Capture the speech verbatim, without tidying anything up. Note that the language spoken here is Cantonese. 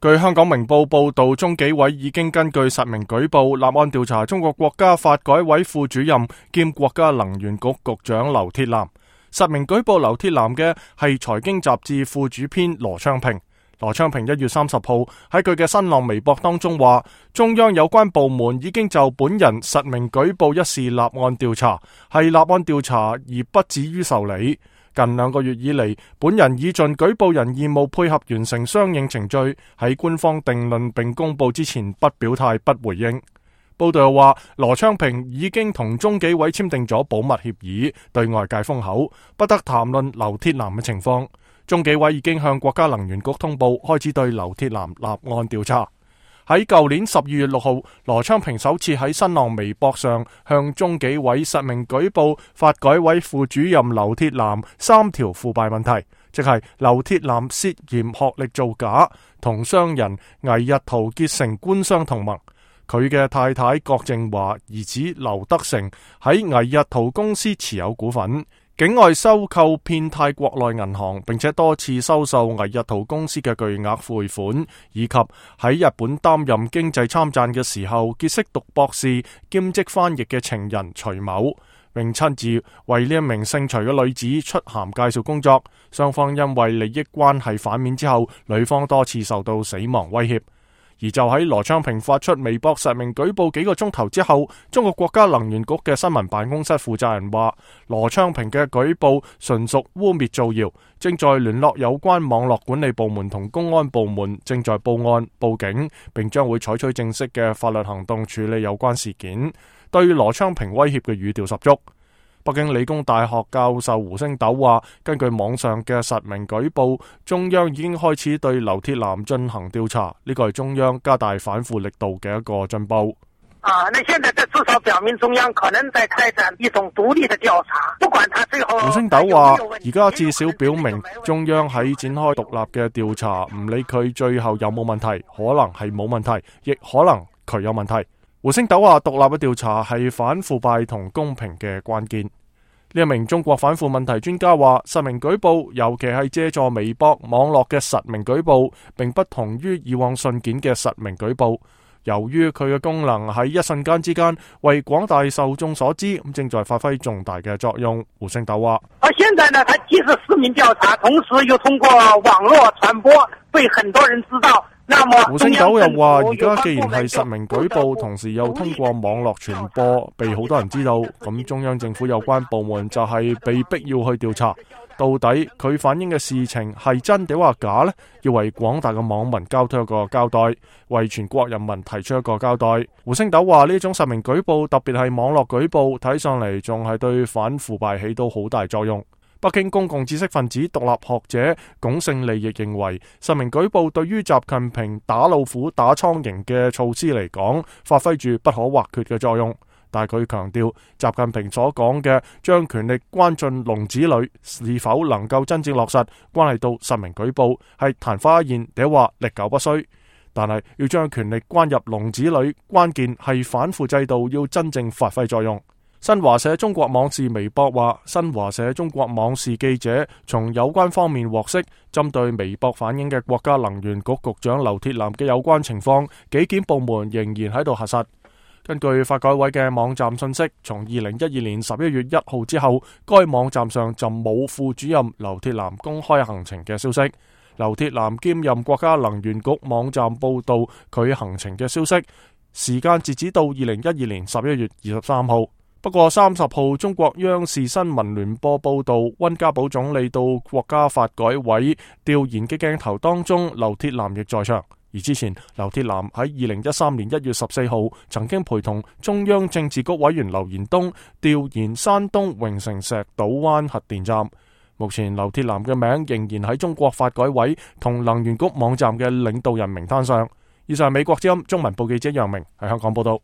據香港明報報道，中紀委已經根據實名舉報立案調查中國國家發改委副主任兼國家能源局局長劉鐵男。實名舉報劉鐵男嘅係財經雜誌副主編羅昌平。羅昌平一月三十號喺佢嘅新浪微博當中話，中央有關部門已經就本人實名舉報一事立案調查，係立案調查而不至於受理。近兩個月以嚟，本人已盡舉報人義務，配合完成相應程序，喺官方定論並公佈之前不表態不回應。報道又話，羅昌平已經同中紀委簽訂咗保密協議，對外界封口，不得談論劉鐵男嘅情況。中紀委已經向國家能源局通報，開始對劉鐵男立案調查。喺舊年十二月六號，羅昌平首次喺新浪微博上向中紀委實名舉報發改委副主任劉鐵男三條腐敗問題，即係劉鐵男涉嫌學歷造假，同商人倪日圖結成官商同盟。佢嘅太太郭靖華、兒子劉德成喺倪日圖公司持有股份，境外收購遍貸國內銀行，並且多次收受倪日圖公司嘅巨額匯款，以及喺日本擔任經濟參贊嘅時候結識讀博士兼職翻譯嘅情人徐某，並親自為呢一名姓徐嘅女子出函介紹工作。雙方因為利益關係反面之後，女方多次受到死亡威脅。而就喺羅昌平發出微博實名舉報幾個鐘頭之後，中國國家能源局嘅新聞辦公室負責人話，羅昌平嘅舉報純屬污衊造謠，正在聯絡有關網絡管理部門同公安部門，正在報案報警，並將會採取正式嘅法律行動處理有關事件，對羅昌平威脅嘅語調十足。北京理工大學教授胡星斗話，根據網上嘅實名舉報，中央已經開始對劉鐵男進行調查，呢個係中央加大反腐力度嘅一個進步。啊，那現在這至少表明中央可能在開展一種獨立的調查，不管他最後。胡星斗話，而家至少表明中央喺展開獨立嘅調查，唔理佢最後有冇問題，可能係冇問題，亦可能佢有問題。胡星斗話，獨立嘅調查係反腐敗同公平嘅關鍵。呢一名中國反腐問題專家話，實名舉報，尤其係借助微博網絡嘅實名舉報，並不同於以往信件嘅實名舉報。由於佢嘅功能喺一瞬間之間為廣大受眾所知，咁正在發揮重大嘅作用。胡星斗話，而現在呢，他既是實名調查，同時又通過網絡傳播，被很多人知道。胡星斗又話，而家既然係實名舉報，同時又通過網絡傳播，被好多人知道，咁中央政府有關部門就係被逼要去調查，到底佢反映嘅事情係真定話假呢？要為廣大嘅網民交出一個交代，為全國人民提出一個交代。胡星斗話，呢種實名舉報，特別係網絡舉報，睇上嚟仲係對反腐敗起到好大作用。北京公共知識分子獨立學者龔勝利亦認為，實名舉報對於習近平打老虎打蒼蠅嘅措施嚟講，發揮住不可或缺嘅作用。但係佢強調，習近平所講嘅將權力關進籠子裏，是否能夠真正落實，關係到實名舉報係曇花一現，定話歷久不衰。但係要將權力關入籠子裏，關鍵係反腐制度要真正發揮作用。新華社中國網視微博話，新華社中國網視記者從有關方面獲悉，針對微博反映嘅國家能源局局長劉鐵男嘅有關情況，紀檢部門仍然喺度核實。根據發改委嘅網站信息，從二零一二年十一月一號之後，該網站上就冇副主任劉鐵男公開行程嘅消息。劉鐵男兼任國家能源局網站報道佢行程嘅消息，時間截止到二零一二年十一月二十三號。不過三十號中國央視新聞聯播報道，溫家寶總理到國家發改委調研嘅鏡頭當中，劉鐵男亦在場。而之前劉鐵男喺二零一三年一月十四號曾經陪同中央政治局委員劉延東調研山東榮成石島灣核電站。目前劉鐵男嘅名仍然喺中國發改委同能源局網站嘅領導人名單上。以上係美國之音中文部記者楊明喺香港報道。